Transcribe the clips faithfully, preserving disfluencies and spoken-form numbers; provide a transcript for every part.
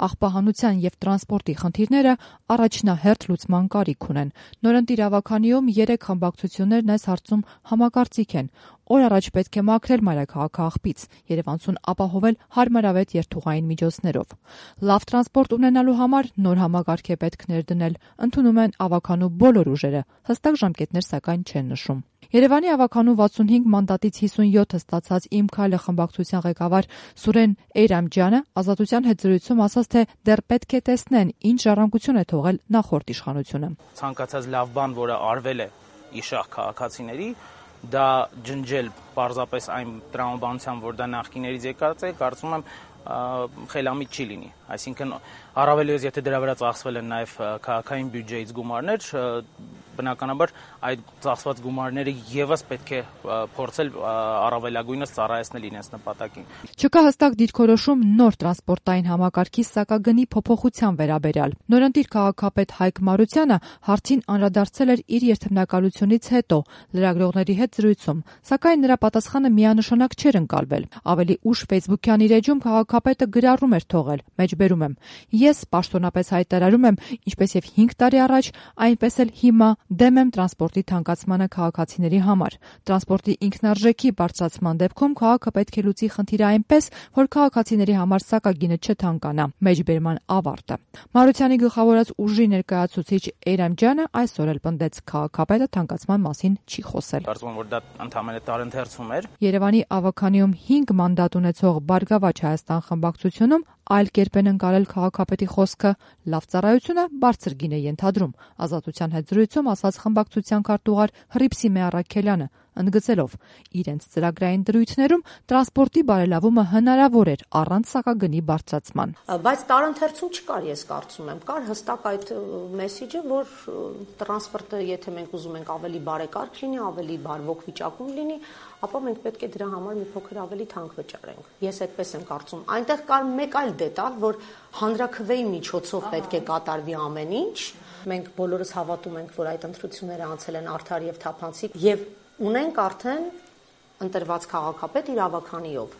աղբահանության և տրանսպորտի խնդիրները առաջնահերթ լուծման կարիք ունեն։ Նորընտիր ավագանիում երեք խմբակցություններն այս հարցում համակարծիք են։ Օր առաջ պետք է մաքրել մայրաքաղաքը Երևանցուն ապահովել հարմարավետ երթուղային միջոցներով։ Լավ տրանսպորտ ունենալու համար նոր համակարգ է պետք ներդնել, ընդունում են ավագանու բոլոր ուժերը, հստակ ժամկետներ սակայն չեն նշում։ Երևանի ավագանու վաթսունհինգ մանդատից հիսունյոթը ստացած «Իմ քայլը» խմբակցության ղեկավար Սուրեն Էյրամջյանը Ազատության հետ զրույցում ասաց, թե դեռ պետք է տեսնեն, ինչ ժառանգություն է թողել նախորդ իշխանությունը։ Ցանկացած լավ բան, որը արվել է իշահ քաղաքացիների, դա ջնջել պարզապես այն տրամաբանությամբ, որ դա նախկիներից եկած է, կարծում եմ խելամիտ չի լինի։ Այսինքն առավելևս եթե դրա վրա ծախսվել են նաև քաղաքային բյուջեից գումարներ, բնականաբար այդ ծախսված գումարները եւս պետք է փորձել առավելագույնս ծառայեցնել իրենց նպատակին։ Չկա հստակ դիրքորոշում նոր տրանսպորտային համակարգի սակագնի փոփոխության վերաբերյալ։ Նորընտիր քաղաքապետ Հայկ Մարությանը հարցին անդրադարձել էր իր երթմնակալությունից հետո լրագրողների հետ զրույցում, սակայն նրա պատասխանը միանշանակ չէր ընկալվել։ Ավելի ուշ Facebook-յան իր էջում քաղաքապետը գրառում էր թողել, մեջբերում եմ. Ես պաշտոնապես հայտարարում եմ, ինչպես եւ հինգ տարի առաջ, այնպես էլ հիմա դեմ եմ տրանսպորտի թանկացմանը քաղաքացիների համար։ Տրանսպորտի ինքնարժեքի բարձրացման դեպքում քաղաքը պետք է լուծի խնդիրը այնպես, որ քաղաքացիների համար սակագինը չթանկանա։ Մեջբերման ավարտը։ Մարությանի գլխավորած ուժի ներկայացուցիչ Էյրամջյանը այսօր էլ պնդեց, քաղաքապետը թանկացման մասին չի խոսել։ Կարծում եմ, որ դա ընդհանրապես տարընթերցում էր։ Երևանի ավագանիում հինգ մանդատ ունեցող Բարգավաճ Հայաստան խմբակցությունում այլ կերպ են ընկալել քաղաքապետի խոսքը, լավ ծառայությունը բարձր գին է ենթադրում։ Ազատության հետ զրույցում ասաց խմբակցության քարտուղար Հռիփսիմե Առաքելյանը, ընդգծելով իրենց ծրագրային դրույթներում տրանսպորտի բարելավումը հնարավոր էր առանց սակագնի բարձրացման։ Բայց տարընթերցում չկար, ես կարծում եմ, կար հստակ այդ մեսիջը, որ տրանսպորտը, եթե մենք ուզում ենք ավելի բարեկարգ լինի, ավելի բարվոք վիճակում լինի, ապա մենք պետք է դրա համար մի փոքր ավելի թանկ վճարենք։ Ես այդպես եմ կարծում։ Այնտեղ կար մեկ այլ դետալ, որ հանրաքվեի միջոցով պետք է կատարվի ամեն ինչ։ Մենք բոլորս հավատում ենք, որ այդ ընտրությունները անցել են արդար եւ թափանցիկ եւ ունենք արդեն ընտրված քաղաքապետ իր ավագանիով։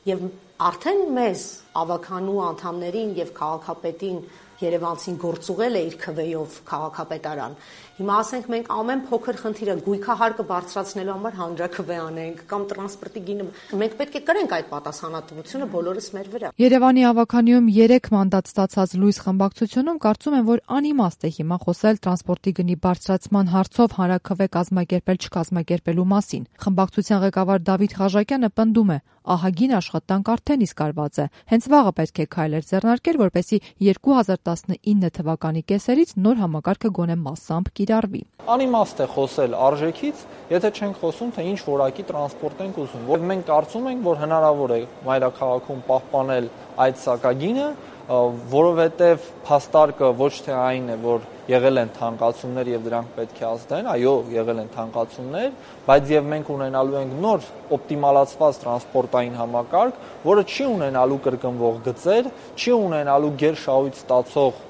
Եվ արդեն մեզ ավագանու անդամներին եւ քաղաքապետին Երևանցին գործուղել է իր քվեով քաղաքապետարան։ Հիմա ասենք մենք ամեն փոքր խնդիրը գույքահարկը բարձրացնելու համար հանրաքվե անենք կամ տրանսպորտի գինը, մենք պետք է կրենք այդ պատասխանատվությունը բոլորս մեր վրա։ Երևանի ավագանիում երեք մանդատ ստացած Լույս խմբակցությունում կարծում եմ, որ անիմաստ է հիմա խոսել տրանսպորտի գնի բարձրացման հարցով հանրաքվե կազմակերպել չկազմակերպելու մասին։ Խմբակցության ղեկավար Դավիթ Ղաժակյանը պնդում է, ահագին աշխատանք արդեն իսկ արված է։ Հենց վաղը պետք է քայլեր ձեռնարկել, որպեսզի երկու հազար տասնինը թվականի կեսերից նոր համակարգը գոնե մասամբ կիրառվի։ Անիմաստ է խոսել արժեքից, եթե չենք խոսում, թե ինչ որակի տրանսպորտ ենք ուզում։ Որ մենք կարծում ենք, որ հնարավոր է մայրաքաղաքում պահպանել այդ սակագինը, որովհետև փաստարկը ոչ թե այն է, որ եղել են թանկացումներ եւ դրանք պետք է ազդեն, այո, եղել են թանկացումներ, բայց եւ մենք ունենալու ենք նոր օպտիմալացված տրանսպորտային համակարգ, որը չի ունենալու կրկնվող գծեր, չի ունենալու գերշահույթ ստացող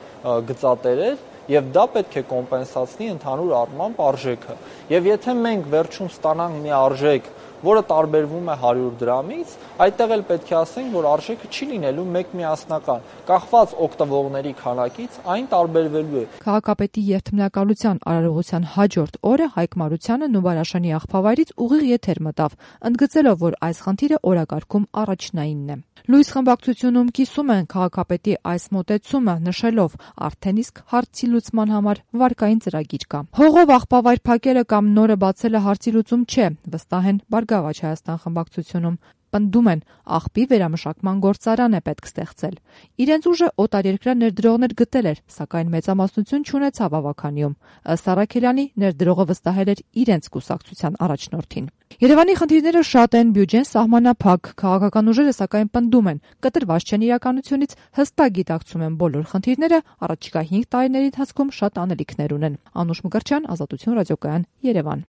գծատերեր, եւ դա պետք է կոմպենսացնի ընդհանուր առմամբ արժեքը։ Եվ եթե մենք վերջում ստանանք մի արժեք, որը տարբերվում է հարյուր դրամից, այդտեղ էլ պետք է ասենք, որ արժեքը չի լինելու մեկմիասնական, կախված օգտվողների քանակից այն տարբերվելու է։ Քաղաքապետի երթմնակալության արարողության հաջորդ օրը Հայկ Մարությանը Նուբարաշանի աղբավայրից ուղիղ եթեր մտավ, ընդգծելով, որ այս խնդիրը օրակարգում առաջնայինն է։ Լույս խմբակցությունում կիսում են քաղաքապետի այս մոտեցումը, նշելով արդեն իսկ հարցի լուծման համար վարկային ծրագիր կա։ Հողով աղբավայր փակելը կամ նորը բացելը հարցի լուծում չէ, վստահ են Բարգավաճ Հայաստան խմբակցությունում։ Պնդում են, աղբի վերամշակման գործարան է պետք ստեղծել։ Իրենց ուժը օտարերկրյա ներդրողներ գտել էր, սակայն մեծամասնություն չունեցավ ավագանիում։ Ըստ Առաքելյանի, ներդրողը վստահել էր իրենց կուսակցության առաջնորդին։ Երևանի խնդիրները շատ են, բյուջեն սահմանափակ, քաղաքական ուժերը սակայն պնդում են, կտրված չեն իրականությունից, հստակ գիտակցում են բոլոր խնդիրները, առաջիկա հինգ տարիների ընթացքում շատ անելիքներ ունեն։ Անուշ Մկրտչյան, Ազատություն ռադիոկայան, Երևան։